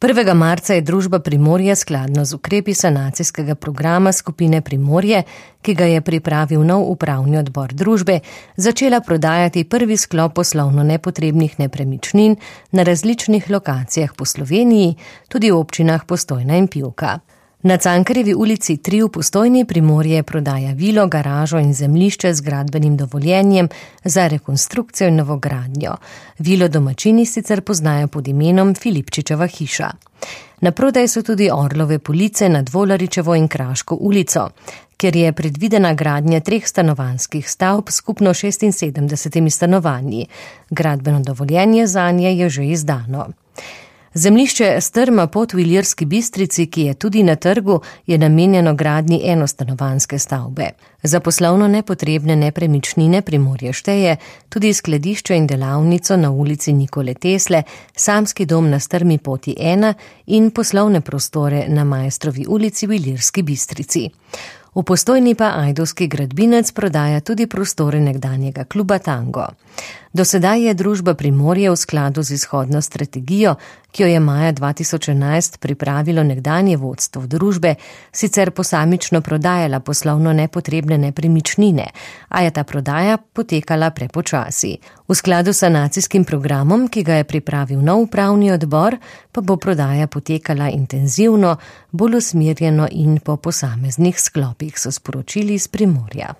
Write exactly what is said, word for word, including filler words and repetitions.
prvega marca je družba Primorje skladno z ukrepi sanacijskega programa skupine Primorje, ki ga je pripravil nov upravni odbor družbe, začela prodajati prvi sklop poslovno nepotrebnih nepremičnin na različnih lokacijah po Sloveniji, tudi v občinah Postojna in Pivka. Na Cankarjevi ulici tri v Postojni Primorje prodaja vilo, garažo in zemljišče z gradbenim dovoljenjem za rekonstrukcijo in novogradnjo. Vilo domačini sicer poznajo pod imenom Filipčičeva hiša. Na prodaj so tudi Orlove police nad Volaričevo in Kraško ulico, kjer je predvidena gradnja treh stanovanjskih stavb skupno šestinsedemdesetimi stanovanji. Gradbeno dovoljenje zanje je že izdano. Zemljišče Strma pot v Ilirski Bistrici, ki je tudi na trgu, je namenjeno gradnji enostanovanjske stavbe. Za poslovno nepotrebne nepremičnine Primorje šteje tudi skladišče in delavnico na ulici Nikole Tesle, samski dom na Strmi poti ena in poslovne prostore na Maestrovi ulici v Ilirski Bistrici. V Postojni pa ajdovski gradbinec prodaja tudi prostore nekdanjega kluba Tango. Do sedaj je družba Primorje v skladu z izhodno strategijo, ki jo je maja dva tisoč enajst pripravilo nekdanje vodstvo družbe, sicer posamično prodajala poslovno nepotrebne nepremičnine, a je ta prodaja potekala prepočasi. V skladu s sanacijskim programom, ki ga je pripravil nov upravni odbor, pa bo prodaja potekala intenzivno, bolj usmerjeno in po posameznih sklopih, so sporočili iz Primorja.